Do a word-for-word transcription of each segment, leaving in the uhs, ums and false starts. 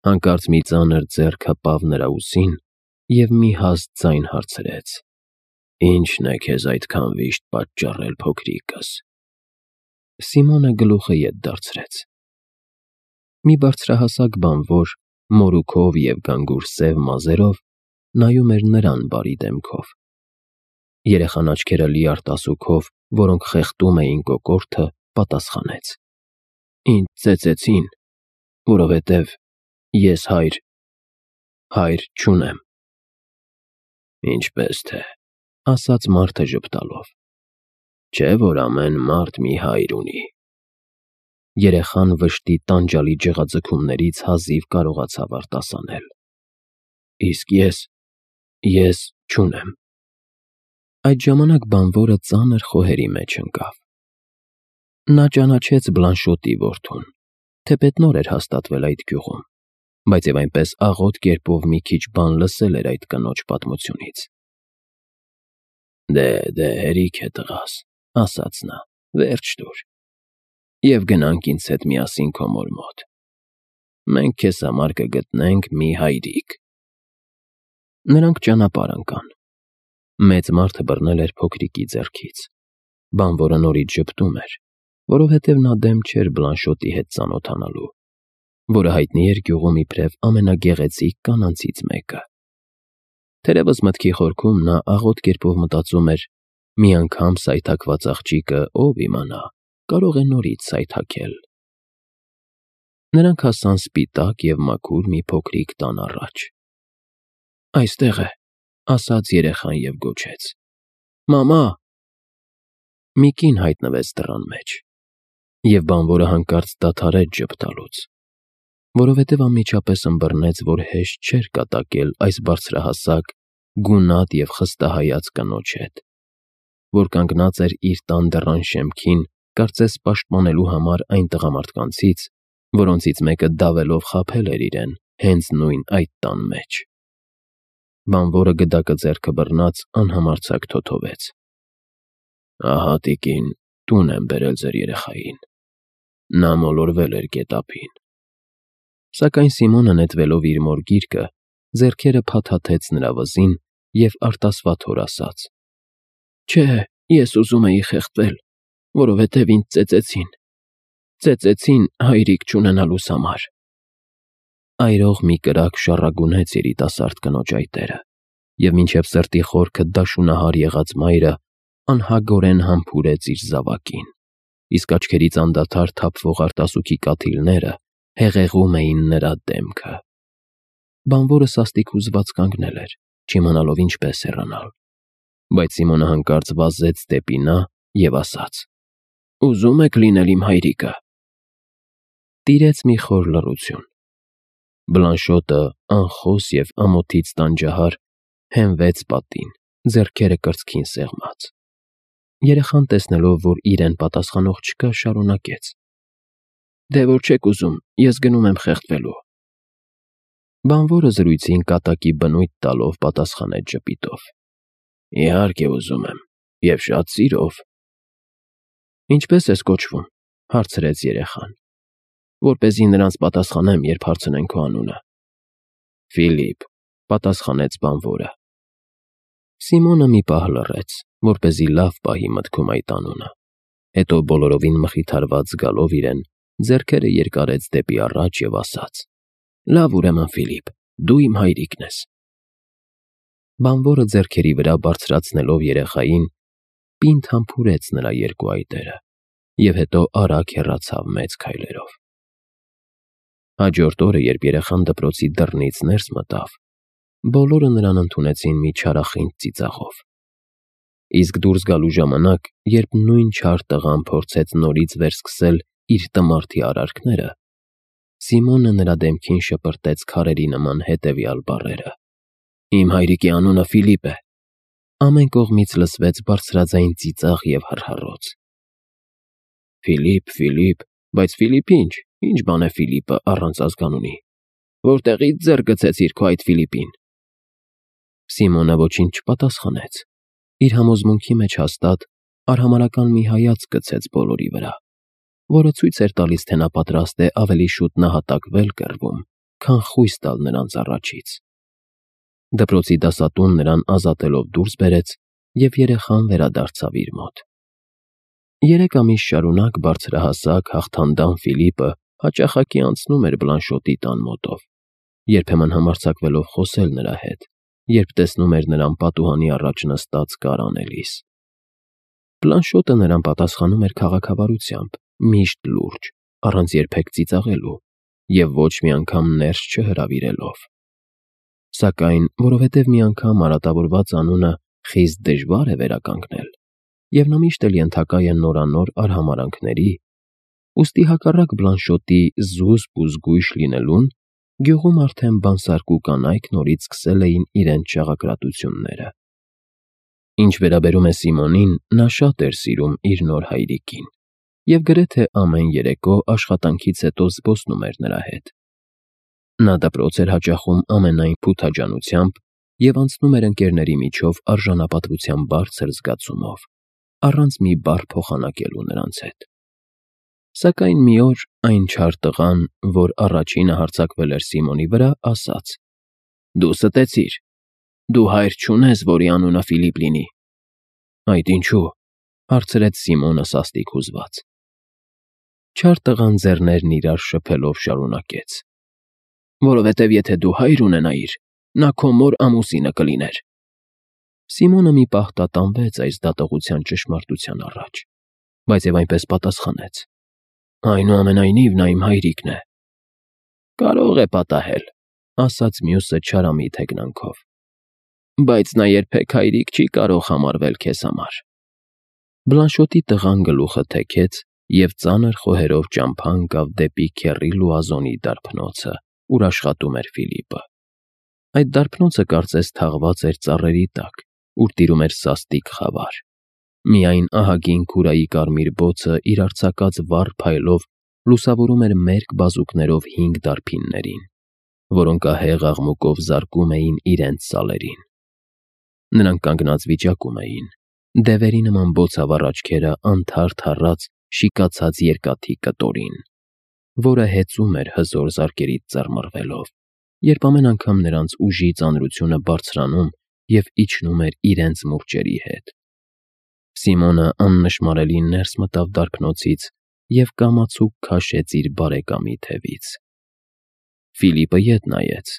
Հանկարծ մի ծանր ձեռք հպավ նրա ուսին և մի հաստ ձայն հարցրեց. «Ի՞նչն է քեզ այդքան վիշտ պատճառել, փոքրիկս»։ Սիմոնը գլուխը ետ դարձրեց։ Մի բարձրահասակ բանվոր, մորուքով և գանգուր սև մազերով, նայում էր նրան բարի դեմքով։ Երեխան աչքերը լի արտասուքով, որոնք խեղդում էին կոկորդը, պատասխանեց. «Ինձ ծեծեցին, որովհետև ես հայր… հայր չունեմ»։ «Ինչպես թե,- ասաց մարդը ժպտալով,- չէ՞ որ ամեն մարդ մի հայր ունի»։ Երեխան վշտի տանջալի ջղաձգումներից հազիվ կարողացավ արտասանել. «Իսկ ես… ես չունեմ»։ Այդ ժամանակ բանվորը ծանր խոհերի մեջ ընկավ։ Նա ճանաչեց Բլանշոտի որդուն, թեպետ նոր էր հաստատվել այդ գյուղում, բայց և այնպես աղոտ կերպով մի քիչ բան լսել էր այդ կնոջ պատմությունից։ «Դե, դե, հերիք է, տղաս,- ասաց նա,- վերջ տուր, և գնանք ինձ հետ միասին քո մոր մոտ։ Մենք քեզ համար կգտնենք մի հայրիկ»։ Նրանք ճանապարհ ընկան։ Մեծ մարդը բռնել էր փոքրիկի ձեռքից։ Բանվորը նորից ժպտում էր, որովհետև նա դեմ չէր Բլանշոտի հետ ծանոթանալու, որը հայտնի էր գյուղում իբրև ամենագեղեցիկ կանանցից մեկը։ Թերևս մտքի խորքում նա աղոտ կերպով մտածում էր. մի անգամ սայթաքված աղջիկը, ով իմանա, կարող է նորից սայթաքել։ Նրանք հասան սպիտակ և մաքուր մի փոքրիկ տան առաջ։ «Այստեղ է,- ասաց երեխան և գոչեց,- Մամա»։ Մի կին հայտնվեց դռան մեջ, և բանվորը հանկարծ դադարեց ժպտալուց, որովհետև անմիջապես ըմբռնեց, որ հեշտ չէր կատակել այս բարձրահասակ, գունատ և խստահայաց կնոջ հետ, որ կանգնած էր իր տան դռան շեմքին, կարծես պաշտպանելու համար այն տղամարդկանցից, որոնցից մեկը դավելով խաբել էր իրեն հենց նույն այդ տան մեջ։ Բանվորը գդակը ձեռքը բռնած անհամարձակ թոթովեց. «Ահա, տիկին, տուն եմ բերել ձեր երեխային. նա մոլորվել էր գետափին»։ Սակայն Սիմոնը նետվելով իր մոր գիրկը, ձեռքերը փաթաթեց նրա վզին և արտասվաթոր ասաց. «Չէ, ես ուզում էի խեղդվել, որովհետև ինձ ծեծեցին… ծեծեցին հայրիկ չունենալուս համար»։ Այրող մի կրակ շառագունեց երիտասարդ կնոջ այտերը, և մինչև սրտի խորքը դաշունահար եղած մայրը անհագորեն համբուրեց իր զավակին, իսկ աչքերից անդադար թափվող արտասուքի կաթիլները հեղեղում էին նրա դեմքը։ Բանվորը սաստիկ հուզված կանգնել էր, չիմանալով ինչպես հեռանալ, բայց Սիմոնը հանկարծ վազեց դեպի նա և ասաց. «Ուզո՞ւմ եք լինել իմ հայրիկը»։ Տիրեց մի խոր լռություն։ Բլանշոտը, անխոս և ամոթից տանջահար, հենվեց պատին, ձեռքերը կրծքին սեղմած։ Երեխան, տեսնելով, որ իրեն պատասխանող չկա, շարունակեց. «Դե որ չեք ուզում, ես գնում եմ խեղդվելու»։ Բանվորը զրույցին կատակի բնույթ տալով պատասխանեց ժպիտով. «Իհարկե ուզում եմ, և շատ սիրով»։ «Ինչպե՞ս ես կոչվում,- հարցրեց երեխան,- որպեսզի նրանց պատասխանեմ, երբ հարցնեն քո անունը»։ «Ֆիլիպ», պատասխանեց բանվորը։ Սիմոնը մի պահ լռեց, որպեսզի լավ պահի մտքում այդ անունը, հետո բոլորովին մխիթարված զգալով իրեն, ձեռքերը երկարեց դեպի առաջ և ասաց. «Լավ, ուրեմն, Ֆիլիպ, դու իմ հայրիկն ես»։ Բանվորը ձեռքերի վրա բարձրացնելով երեխային, պինդ համբուրեց նրա երկու այտերը և հետո արագ հեռացավ մեծ քայլերով։ Հաջորդ օրը, երբ երեխան դպրոցի դռնից ներս մտավ, բոլորը նրան ընդունեցին մի չարախինդ ծիծաղով։ Իսկ դուրս գալու ժամանակ, երբ նույն չար տղան փորձեց նորից վերսկսել իր տմարդի արարքները, Սիմոնը նրա դեմքին շպրտեց քարերի նման հետևյալ բառերը. «Իմ հայրիկի անունը Ֆիլիպ է»։ Ամեն կողմից լսվեց բարձրաձայն ծիծաղ և հռհռոց։ «Ֆիլիպ, Ֆիլիպ, բայց Ֆիլիպ ինչ, ինչ բան է Ֆիլիպը առանց ազգանունի, որտեղի՞ց ձեռք գցեցիր քո այդ Ֆիլիպին»։ Սիմոնը ոչինչ չպատասխանեց, իր համոզմունքի մեջ հաստատ արհամարհական մի հայացք գցեց բոլորի վրա, որը ցույց էր տալիս, թե նա պատրաստ է ավելի շուտ նահատակվել կռվում, քան խույս տալ նրանց առաջից։ Դպրոցի դասատուն նրան ազատելով դուրս բերեց և երեխան վերադարձավ իր մոտ։ Երեք ամիս շարունակ բարձրահասակ, հաղթանդամ Ֆիլիպը հաճախակի անցնում էր Բլանշոտի տան մոտով, երբեմն համարձակվելով խոսել նրա հետ, երբ տեսնում էր նրան պատուհանի առաջ նստած կար անելիս։ Բլանշոտը նրան պատասխանում էր քաղաքավարությամբ, միշտ լուրջ, առանց երբեք ծիծաղելու և ոչ մի անգամ ներս չհրավիրելով։ Սակայն, որովհետև մի անգամ արատավորված անունը խիստ դժվար է վերականգնել, և նա միշտ էլ ենթակա է նորանոր արհամարհանքների, ուստի հակառակ Բլանշոտի զուսպ ու զգույշ լինելուն, գյուղում արդեն բանսարկու կանայք նորից սկսել էին իրենց շաղակրատությունները։ Ինչ վերաբերում է Սիմոնին, նա շատ էր սիրում իր նոր հայրիկին և գրեթե ամեն երեկո աշխատանքից հետո զբոսնում էր նրա հետ։ Նա դպրոց էր հաճախում ամենայն փութաջանությամբ և անցնում էր ընկերների միջով արժանապատվության բարձր զգացումով, առանց մի բառ փոխանակելու նրանց հետ։ Սակայն մի օր այն չար տղան, որ առաջինը հարձակվել էր Սիմոնի վրա, ասաց. «Դու ստեցիր, դու հայր չունես, որի անունը Ֆիլիպ լինի»։ «Այդ ինչու՞», հարցրեց Սիմոնը սաստիկ հուզված։ Չար տղան ձեռներն իրար շփելով շարունակեց. «Որովհետև եթե դու հայր ունենայիր, նա քո մոր ամուսինը կլիներ»։ Սիմոնը մի պահ տատանվեց այս դատողության ճշմարտության առաջ, բայց և այնպես պատասխանեց. «Այնուամենայնիվ, նա իմ հայրիկն է»։ «Կարող է պատահել», ասաց մյուսը չարամիտ հեգնանքով, «բայց նա երբեք հայրիկ չի կարող համարվել քեզ համար»։ Բլանշոտի տղան գլուխը թեքեց և ծանր խոհերով ճամփա ընկավ դեպի քեռի Լուազոնի դարբնոցը, ուր աշխատում էր Ֆիլիպը։ Այդ դարբնոցը կարծես թաղված էր ծառերի տակ, ուր տիրում էր սաստիկ խավար։ Միայն ահագին քուրայի կարմիր բոցը իր արձակած վառ փայլով լուսավորում էր մերկ բազուկներով հինգ դարբիններին, որոնք ահեղ աղմուկով զարկում էին իրենց սալերին։ Նրանք կանգնած վիճակում էին, դևերի նման բոցավառ աչքերը անթարթ առած շիկացած երկաթի կտորին, որը հեծում էր հզոր զարկերից ծռմռվելով, երբ ամեն անգամ նրանց ուժի ծանրությունը բարձրանում և իջնում էր իրենց մուրճերի հետ։ Սիմոնը աննշմարելի ներս մտավ դարբնոցից և կամացուկ քաշեց իր բարեկամի թևից։ Ֆիլիպը ետ նայեց։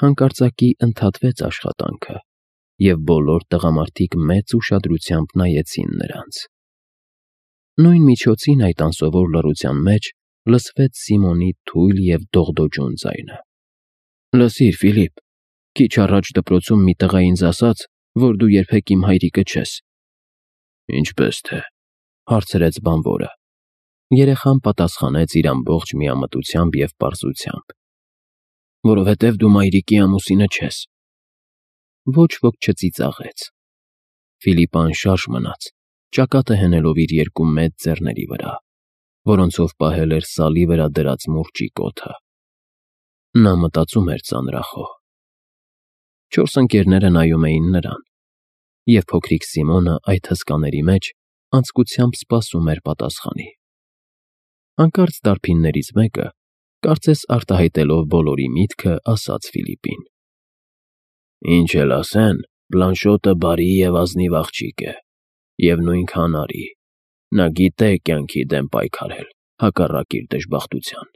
Հանկարծակի ընդհատվեց աշխատանքը, և բոլոր տղամարդիկ մեծ ուշադրությամբ նայեցին նրանց։ Նույն միջոցին այդ անսովոր լռության մեջ լսվեց Սիմոնի թույլ և դողդոջուն ձայնը. «Լսիր, Ֆիլիպ, քիչ առաջ դպրոցում մի տղա ինձ ասաց, որ դու երբեք իմ հայրիկը չես»։ «Ինչպե՞ս թե», հարցրեց բանվորը։ Երեխան պատասխանեց իր ամբողջ միամտությամբ և պարզությամբ. «Որովհետև դու մայրիկի ամուսինը չես»։ Ոչ ոք չծիծաղեց։ Ֆիլիպը անշարժ մնաց, ճակատը հենելով իր երկու մեծ ձեռների վրա, որոնցով պահել էր սալի վրա դրած մուրճի կոթը։ Նա մտածում էր ծանրախոհ։ Չորս ընկերները նայում էին նրան, և փոքրիկ Սիմոնը այդ հսկաների մեջ անձկությամբ սպասում էր պատասխանի։ Հանկարծ դարբիններից մեկը, կարծես արտահայտելով բոլորի միտքը, ասաց Ֆիլիպին. «Ինչ էլ ասեն, Բլանշոտը բարի և ազնիվ աղջիկ է, և նույնքան արի, նա գիտե կյանքի դեմ պայքարել, հակառակ իր դժբախտության։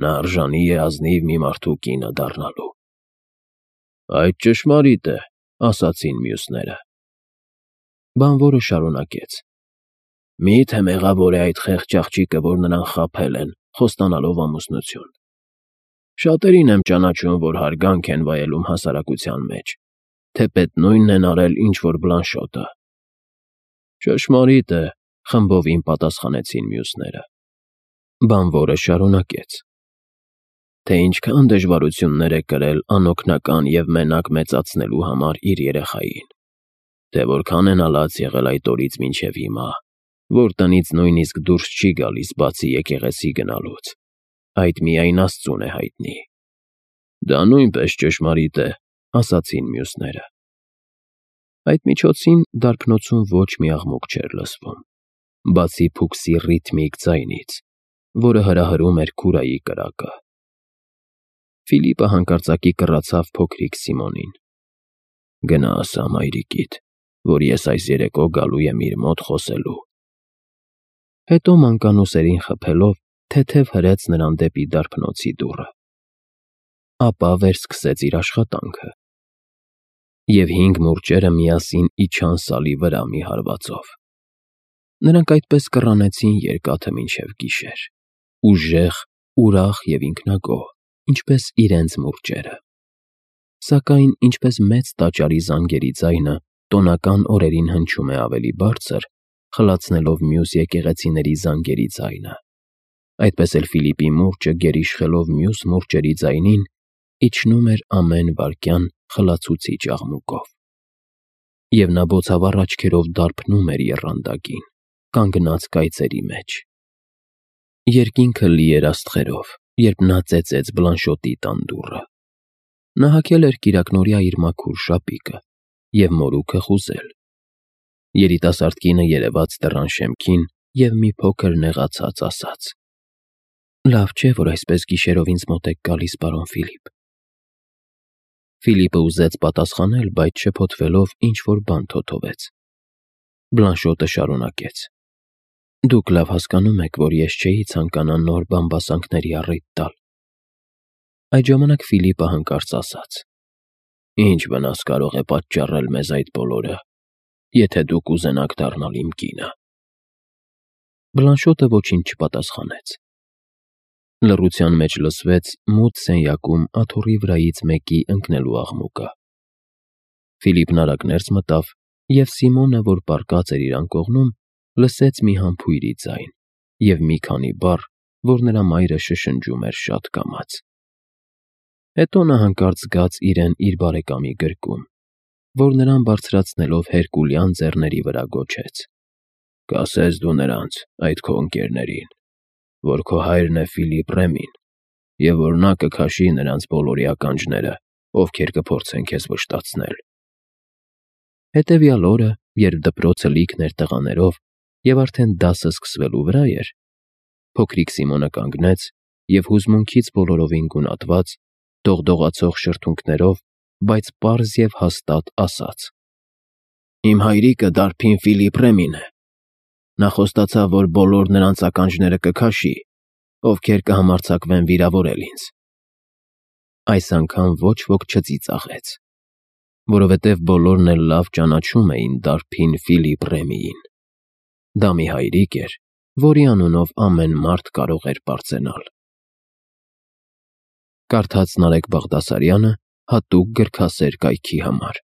Նա արժանի է ազնիվ մի մարդու կինը դառնալու»։ «Այդ ճշմարիտ է», ասացին մյուսները։ Բանվորը շարունակեց. «Մի՞թե մեղավոր է այդ խեղճ աղջիկը, որ նրան խաբել են, խոստանալով ամուսնություն։ Շատերին եմ ճանաչում, որ հարգանք են վայելում հասարակության մեջ, թեպետ նույնն են արել, ինչ որ Բլանշոտը»։ «Ճշմարիտ է», խմբովին պատասխանեցին մյուսները։ Բանվորը շարունակեց. «Թե ինչքան դժվարություններ է կրել անօգնական և մենակ մեծացնելու համար իր երեխային, թե որքան է նա լաց եղել այդ օրից մինչև հիմա, որ տնից նույնիսկ դուրս չի գալիս, բացի եկեղեցի գնալուց, այդ միայն Աստծուն է հայտնի»։ «Դա նույնպես ճշմարիտ է», ասացին մյուսները։ Այդ միջոցին դարբնոցում ոչ մի աղմուկ չէր լսվում, բացի փուքսի ռիթմիկ ձայնից, որը հրահրում էր քուրայի կրակը։ Ֆիլիպը հանկարծակի կռացավ փոքրիկ Սիմոնին. «Գնա ասա մայրիկիդ, որ ես այս երեկո գալու եմ իր մոտ խոսելու»։ Հետո մանկանուսերին խփելով թեթև հրեց նրան դեպի դարբնոցի դուռը։ Ապա վերսկսեց իր աշխատանքը։ Եվ հինգ մուրճերը միասին իջան սալի վրա մի հարվածով։ Նրանք այդպես կռանեցին երկաթը մինչև գիշեր, ուժեղ, ուրախ և ինքնագոհ, ինչպես իրենց մուրճերը։ Սակայն ինչպես մեծ տաճարի զանգերի ձայնը տոնական օրերին հնչում է ավելի բարձր, խլացնելով մյուս եկեղեցիների զանգերի ձայնը, այդպես էլ Ֆիլիպի մուրճը գերիշխելով մյուս մուրճերի ձայնին, իջնում էր ամեն վայրկյան խլացուցիչ աղմուկով։ Եվ նա բոցավառ աչքերով դարբնում էր եռանդակին, կանգնած կայծերի մեջ։ Երկինքը լի էր աստղերով, երբ նա ծեծեց Բլանշոտի տան դուռը։ Նա հագել էր կիրակնօրյա իր մաքուր շապիկը և մորուքը խուզել։ Երիտասարդ կինը երևաց դռան շեմքին և մի փոքր նեղացած ասաց. «Լավ չէ, որ այսպես գիշերով ինձ մոտ եք գալիս, պարոն Ֆիլիպ»։ Ֆիլիպը ուզեց պատասխանել, բայց շփոթվելով ինչ-որ բան թոթվեց։ Բլանշոտը շարունակեց. «Դուք լավ հասկանում եք, որ ես չէի ցանկանա նոր բամբասանքների առիթ տալ»։ Այդ ժամանակ Ֆիլիպը հանկարծ ասաց. «Ինչ վնաս կարող է պատճառել մեզ այդ բոլորը, եթե դուք ուզենաք դառնալ իմ կինը»։ Բլանշոտը ոչինչ չպատասխանեց։ Լռության մեջ լսվեց մութ սենյակում աթոռի վրայից մեկի ընկնելու աղմուկը։ Ֆիլիպն արագ ներս մտավ, և Սիմոնը, որ պառկած էր իր անկողնում, լսեց մի համբույրի ձայն և մի քանի բառ, որ նրա մայրը շշնջում էր շատ կամաց։ Հետո նա հանկարծ զգաց իրեն իր բարեկամի գրկում, որ նրան բարձրացնելով հերկուլյան ձեռների վրա գոչեց. «Կասես դու նրանց, այդ քո ընկերներին, որ քո հայրն է Ֆիլիպ Ռեմին, և որ նա կքաշի նրանց բոլորի ականջները, ովքեր կփորձեն քեզ վշտացնել»։ Հետևյալ օրը, երբ դպրոցը լիքն էր տղաներով և արդեն դասը սկսվելու վրա էր, փոքրիկ Սիմոնը կանգնեց և հուզմունքից բոլորովին գունատված, դողդողացող շրթունքներով, բայց պարզ և հաստատ ասաց. «Իմ հայրիկը դարբին Ֆիլիպ Ռեմին է։ Նա խոստացավ, որ բոլոր նրանց ականջները կքաշի, ովքեր կհամարձակվեն վիրավորել ինձ»։ Այս անգամ ոչ ոք չծիծաղեց, որովհետև բոլորն էլ լավ ճանաչում էին դարբին Ֆիլիպ Ռեմիին։ Դա մի հայրիկ էր, որի անունով ամեն մարդ կարող էր պարծենալ։ Կարդաց Նարեկ Բաղդասարյանը հատուկ գրքասեր կայքի համար։